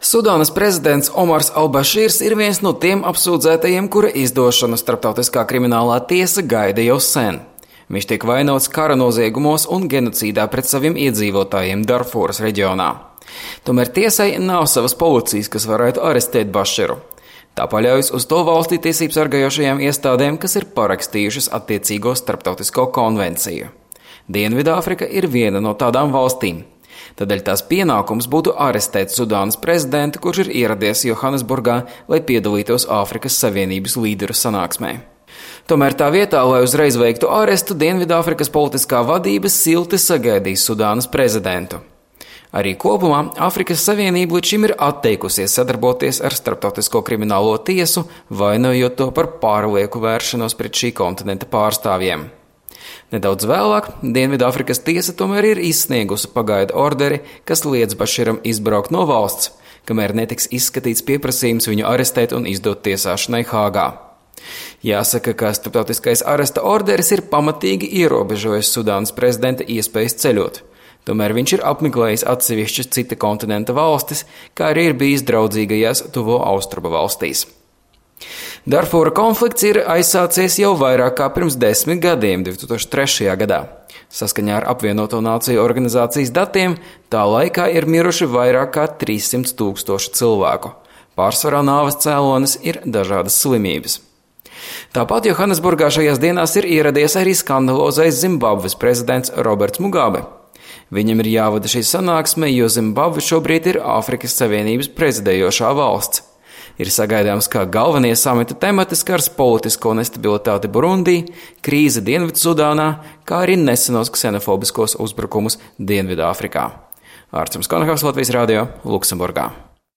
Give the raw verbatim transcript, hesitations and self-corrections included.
Sudānas prezidents Omars al-Bašīrs ir viens no tiem apsūdzētajiem, kura izdošanu starptautiskā kriminālā tiesa gaida jau sen. Viņš tiek vainots kara noziegumos un genocīdā pret saviem iedzīvotājiem Darfūras reģionā. Tomēr tiesai nav savas policijas, kas varētu arestēt Baširu. Tā paļaujas uz to valstī tiesību sargājošajām iestādēm, kas ir parakstījušas attiecīgo starptautisko konvenciju. Dienvidāfrika ir viena no tādām valstīm. Tādēļ tās pienākums būtu arestēt Sudānas prezidentu, kurš ir ieradies Johannesburgā, lai piedalītos Āfrikas Savienības līderu sanāksmē. Tomēr tā vietā, lai uzreiz veiktu arestu, Dienvidāfrikas politiskā vadība silti sagaidīs Sudānas prezidentu. Arī kopumā Āfrikas Savienība līdz šim ir atteikusies sadarboties ar Starptautisko kriminālo tiesu, vainojot to par pārlieku vēršanos pret šī kontinenta pārstāvjiem. Nedaudz vēlāk Dienvidāfrikas tiesa tomēr ir izsniegusi pagaidu orderi, kas liedz Baširam izbraukt no valsts, kamēr netiks izskatīts pieprasījums viņu arestēt un izdot tiesāšanai Hāgā. Jāsaka, ka starptautiskais aresta orderis ir pamatīgi ierobežojis Sudānas prezidenta iespējas ceļot. Tomēr viņš ir apmeklējis atsevišķas cita kontinenta valstis, kā arī ir bijis draudzīgajās tuvo austrumu valstīs. Darfūra konflikts ir aizsācies jau vairāk kā pirms desmit gadiem, divi tūkstoši trešajā gadā. Saskaņā ar apvienoto nāciju organizācijas datiem, tā laikā ir miruši vairāk kā trīssimti tūkstoši cilvēku. Pārsvarā nāves cēlonis ir dažādas slimības. Tāpat Johannesburgā šajās dienās ir ieradies arī skandalozais Zimbabves prezidents Roberts Mugabe. Viņam ir jāvada šī sanāksme, jo Zimbabve šobrīd ir Āfrikas Savienības prezidējošā valsts. Ir sagaidāms, ka galvenie samita temati skars politisko nestabilitāti Burundī, krīze Dienvidsudānā, kā arī nesenos ksenofobiskos uzbrukumus Dienvidāfrikā. Ārcums Konahaus, Latvijas radio, Luksemburgā.